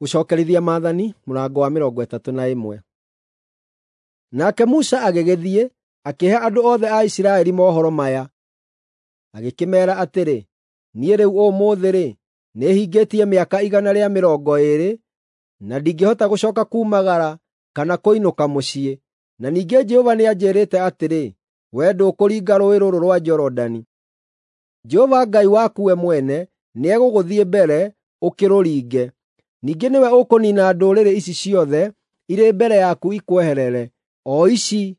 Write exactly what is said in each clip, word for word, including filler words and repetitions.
Gũcokerithia Maathani mũrango wa mĩrongo ĩtatũ na ĩmwe. Nake Musa agĩgĩthiĩ, akĩhe andũ othe a Isiraeli mohoro maya. Agĩkĩmeera atĩrĩ, “Niĩ rĩu ũmũthĩ-rĩ, nĩhingĩtie mĩaka igana rĩa mĩrongo ĩĩrĩ, na ndingĩhota gũcooka kuumagara kana kũinũka mũciĩ. Na ningĩ Jehova nĩanjĩĩrĩte atĩrĩ, ‘Wee ndũkũringa rũũĩ rũrũ rwa Jorodani.’ Jehova Ngai waku we mwene nĩegũgũthiĩ mbere ũkĩrũringe. Ningĩ nĩwe ũkũniina ndũrĩrĩ ici ciothe irĩ mbere yaku ikweherere, o ici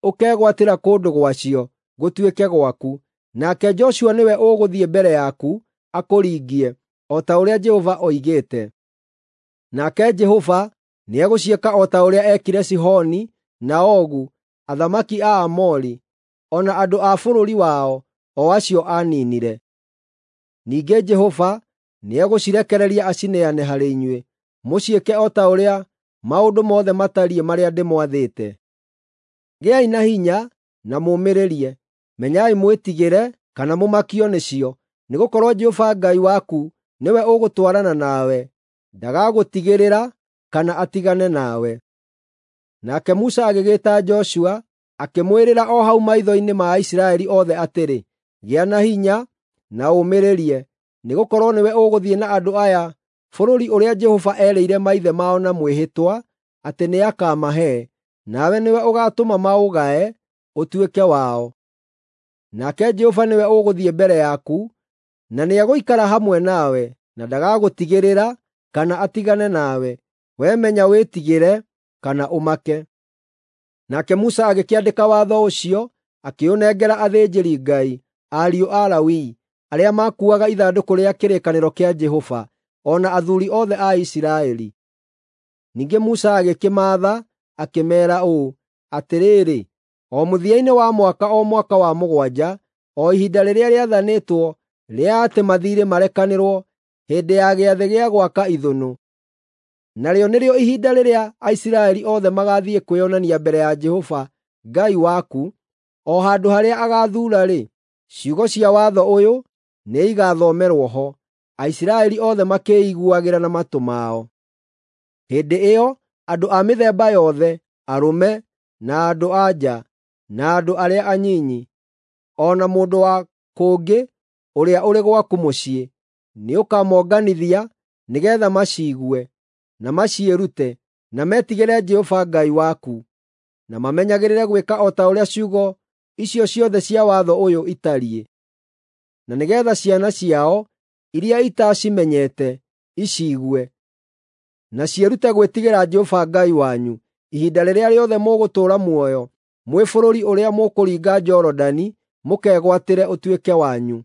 ũkegwatĩra kũndũ gwacio gũtuĩke gwaku. Nake Joshua nĩwe ũgũthiĩ mbere yaku akũringie, o ta ũrĩa Jehova oigĩte. Nake Jehova nĩegũciĩka o ta ũrĩa eekire Sihoni na Ogu, athamaki a Aamori, o na andũ a bũrũri wao, o acio aaniinire. Ningĩ Jehova nĩegũcirekereria acineane harĩ inyuĩ, mũciĩke o ta ũrĩa maũndũ mothe matariĩ marĩa ndĩmwathĩte. Gĩai na hinya na mũũmĩrĩrie. Menyai mwĩtigĩre kana mũmakio nĩcio, nĩgũkorwo Jehova Ngai waku nĩwe ũgũtwarana nawe, ndagagũtigĩrĩra kana atigane nawe.” Nake Musa agĩgĩĩta Joshua, akĩmwĩrĩra o hau maitho-inĩ ma Aisiraeli othe atĩrĩ, “Gĩa na hinya na ũũmĩrĩrie, nĩgũkorwo nĩwe ũgũthiĩ na andũ aya bũrũri ũrĩa Jehova eerĩire maithe mao na mwĩhĩtwa atĩ nĩakamahe, nawe nĩwe ũgaatũma maũgae ũtuĩke wao. Nake Jehova nĩwe ũgũthiĩ mbere yaku, na nĩegũikara hamwe nawe, na ndagagũtigĩrĩra kana atigane nawe. Wee menya wĩtigĩre kana ũmake.” Nake Musa agĩkĩandĩka watho ũcio, akĩũnengera athĩnjĩri-Ngai, ariũ a Lawi, arĩa maakuuaga ithandũkũ rĩa kĩrĩkanĩro kĩa Jehova, o na athuuri othe a Isiraeli. Ningĩ Musa agĩkĩmaatha, akĩmeera ũũ, “Atĩrĩrĩ, o mũthia-inĩ wa mwaka o mwaka wa mũgwanja, o ihinda rĩrĩa rĩathanĩtwo rĩa atĩ mathiirĩ marekanĩrwo hĩndĩ ya Gĩathĩ gĩa Gwaka Ithũnũ, narĩo nĩrĩo ihinda rĩrĩa Aisiraeli othe magaathiĩ kwĩonania mbere ya Jehova Ngai waku, o handũ harĩa agaathuura-rĩ, ciugo cia watho ũyũ nĩigathomerwo ho, Aisiraeli othe makĩĩiguagĩra na matũ mao. Hĩndĩ ĩyo andũ a mĩthemba yothe, arũme, na andũ-a-nja, na andũ arĩa anyinyi, o na mũndũ wa kũngĩ ũrĩa ũrĩ gwaku mũciĩ, nĩũkamonganithia nĩgeetha maciigue, na maciĩrute, na metigĩre Jehova Ngai waku, na mamenyagĩrĩre gwĩka o ta ũrĩa ciugo icio ciothe cia watho ũyũ itariĩ, na nĩgeetha ciana ciao iria itaacimenyete iciigue, na ciĩrute gwĩtigĩra Jehova Ngai wanyu ihinda rĩrĩa rĩothe mũgũtũũra muoyo mwĩ bũrũri ũrĩa mũkũringa Jorodani mũkegwatĩre ũtuĩke wanyu.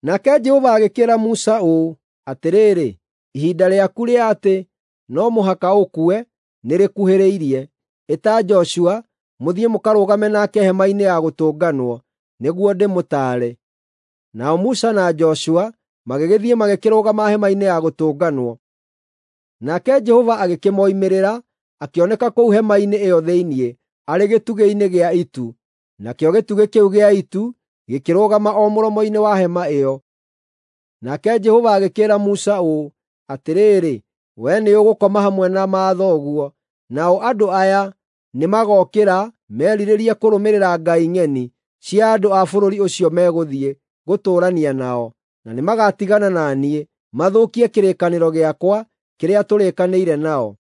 Nake Jehova agĩkĩĩra Musa ũũ, “Atĩrĩrĩ, ihinda rĩaku rĩa atĩ no mũhaka ũkue nĩrĩkuhĩrĩirie. Ĩta Joshua mũthiĩ mũkarũgame nake hema-inĩ ya gũtũnganwo, nĩguo ndĩmũtaare.” Nao Musa na Joshua magĩgĩthiĩ magĩkĩrũgama hema-inĩ ya gũtũnganwo. Nake Jehova agĩkĩmoimĩrĩra, akĩoneka kũu hema-inĩ ĩyo thĩinĩ, arĩ gĩtugĩ-inĩ gĩa itu, nakĩo gĩtugĩ kĩu gĩa itu gĩkĩrũgama o mũromo-inĩ wa hema ĩyo. Nake Jehova agĩkĩĩra Musa ũũ, “Atĩrĩrĩ, wee nĩũgũkoma hamwe na mathoguo, nao andũ aya nĩmagookĩra merirĩrie kũrũmĩrĩra ngai ng'eni cia andũ a bũrũri ũcio megũthiĩ gũtũũrania nao, na nĩmagatigana na niĩ, mathũkie kĩrĩkanĩro gĩakwa kĩrĩa tũrĩkanĩire nao.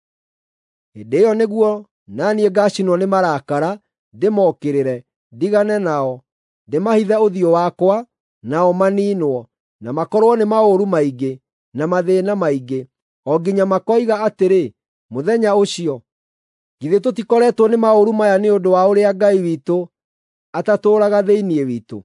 Hĩndĩ ĩyo nĩguo na niĩ ngaacinwo nĩ marakara ndĩmokĩrĩre, ndigane nao, ndĩmahithe ũthiũ wakwa, nao maniinwo, na makorwo nĩ maũru maingĩ na mathĩĩna maingĩ, o nginya makoiga atĩrĩ mũthenya ũcio, ‘Githĩ tũtikoretwo nĩ maũru maya nĩ ũndũ wa ũrĩa Ngai witũ atatũũraga thĩinĩ witũ?’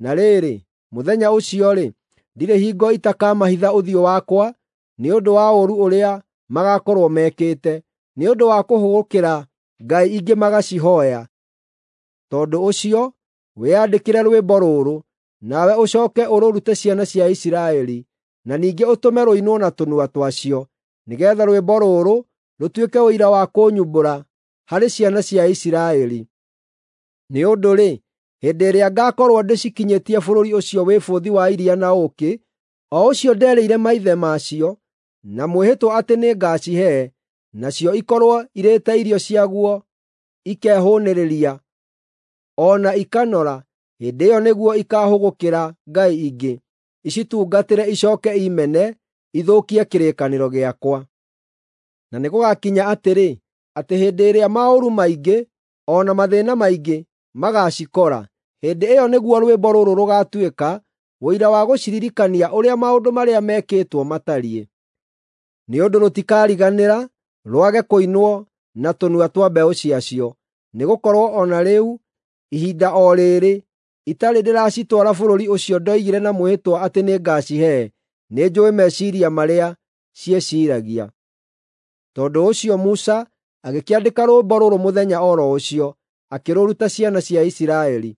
Na rĩrĩ, mũthenya ũcio-rĩ, ndirĩ hingo itakamahitha ũthiũ wakwa nĩ ũndũ wa ũũru ũrĩa magaakorwo mekĩte, nĩ ũndũ wa kũhũgũkĩra ngai ingĩ magacihooya. Tondũ ũcio, wĩyandĩkĩre rwĩmbo rũrũ, nawe ũcooke ũrũrute ciana cia Isiraeli, na ningĩ ũtũme rũinwo na tũnua twacio, nĩgeetha rwĩmbo rũrũ rũtuĩke ũira wa kũnyumbũra harĩ ciana cia Isiraeli. Nĩ ũndũ-rĩ, hĩndĩ ĩrĩa ngaakorwo ndĩcikinyĩtie bũrũri ũcio wĩ bũthi wa iria na ũũkĩ, o ũcio nderĩire maithe macio, na mwĩhĩtwa atĩ nĩngacihe, nacio ikorwo irĩte irio ciaguo ikehũũnĩrĩria, o na ikanora, hĩndĩ ĩyo nĩguo ikaahũgũkĩra ngai ingĩ, icitungatĩre icooke imene, ithũkie kĩrĩkanĩro gĩakwa. Na nĩgũgakinya atĩrĩ, atĩ hĩndĩ ĩrĩa maũru maingĩ o na mathĩĩna maingĩ magaacikora, hĩndĩ ĩyo nĩguo rwĩmbo rũrũ rũgaatuĩka ũira wa gũciririkania ũrĩa maũndũ marĩa mekĩtwo matariĩ. Nĩ ũndũ rũtikariganĩra rwage kũinwo na tũnua twa mbeũ ciacio, nĩgũkorwo o na rĩu, ihinda o rĩrĩ, itarĩ ndĩracitwara bũrũri ũcio ndoigire na mwĩhĩtwa atĩ nĩngacihe, nĩnjũũĩ meciiria marĩa ciĩciiragia. Tondũ ũcio Musa agĩkĩandĩka rwĩmbo rũrũ mũthenya o ro ũcio, akĩrũruta ciana cia Isiraeli.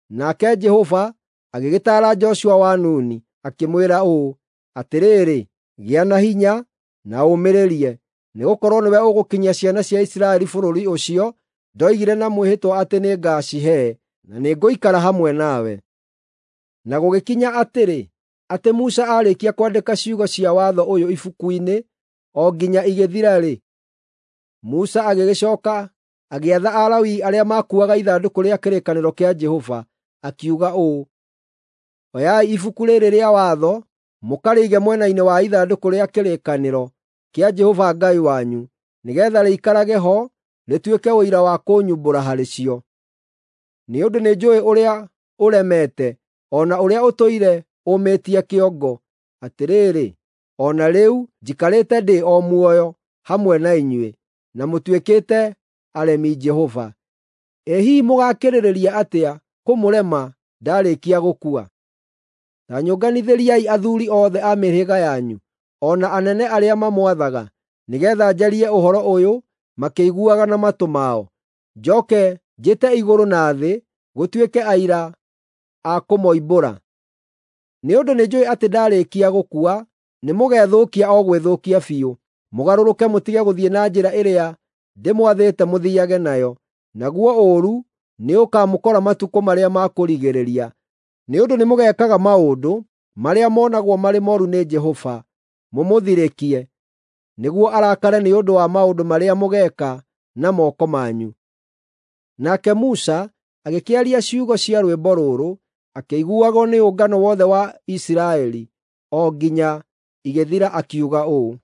Nake Jehova agĩgĩtaara Joshua wa Nuni, akĩmwĩra ũũ, “Atĩrĩrĩ, gĩa na hinya na ũũmĩrĩrie, nĩgũkorwo nĩwe ũgũkinyia ciana cia Isiraeli bũrũri ũcio ndoigire na mwĩhĩtwa atĩ nĩngacihe, na nĩngũikara hamwe nawe.” Na gũgĩkinya atĩrĩ, atĩ Musa aarĩkia kwandĩka ciugo cia watho ũyũ ibuku-inĩ o nginya igĩthira-rĩ, Musa agĩgĩcooka agĩatha Alawii arĩa maakuuaga ithandũkũ rĩa kĩrĩkanĩro kĩa Jehova, akiuga ũũ, “Oyai ibuku rĩrĩ rĩa watho mũkarĩige mwena-inĩ wa ithandũkũ rĩa kĩrĩkanĩro kĩa Jehova Ngai wanyu, nĩgeetha rĩikarage ho rĩtuĩke ũira wa kũnyumbũra harĩ cio. Nĩ ũndũ nĩnjũũĩ ũrĩa ũremete, o na ũrĩa ũtũire ũmĩtie kĩongo. Atĩrĩrĩ, o na rĩu njikarĩte ndĩ o muoyo hamwe na inyuĩ, na mũtuĩkĩte aremi Jehova. Ĩ hihi mũgaakĩrĩrĩria atĩa kũmũrema ndaarĩkia gũkua? Ta nyũnganithĩriai athuuri othe a mĩhĩrĩga yanyu, o na anene arĩa mamwathaga, nĩgeetha njarie ũhoro ũyũ makĩiguaga na matũ mao. Njooke njĩte igũrũ na thĩ gũtuĩke aira a kũmoimbũra. Nĩ ũndũ nĩnjũũĩ atĩ ndaarĩkia gũkua, nĩmũgethũkia o gwĩthũkia biũ, mũgarũrũke mũtige gũthiĩ na njĩra ĩrĩa ndĩmwathĩte mũthiiage nayo, naguo ũũru nĩũkamũkora matukũ marĩa ma kũrigĩrĩria. Nĩ ũndũ nĩmũgeekaga maũndũ marĩa monagwo marĩ mooru nĩ Jehova, mũmũthirĩkie, nĩguo arakare nĩ ũndũ wa maũndũ marĩa mũgeeka na moko manyu.” Nake Musa agĩkĩaria ciugo cia rwĩmbo rũrũ, akĩiguagwo nĩ ũngano wothe wa Isiraeli, o nginya igĩthira akiuga ũũ: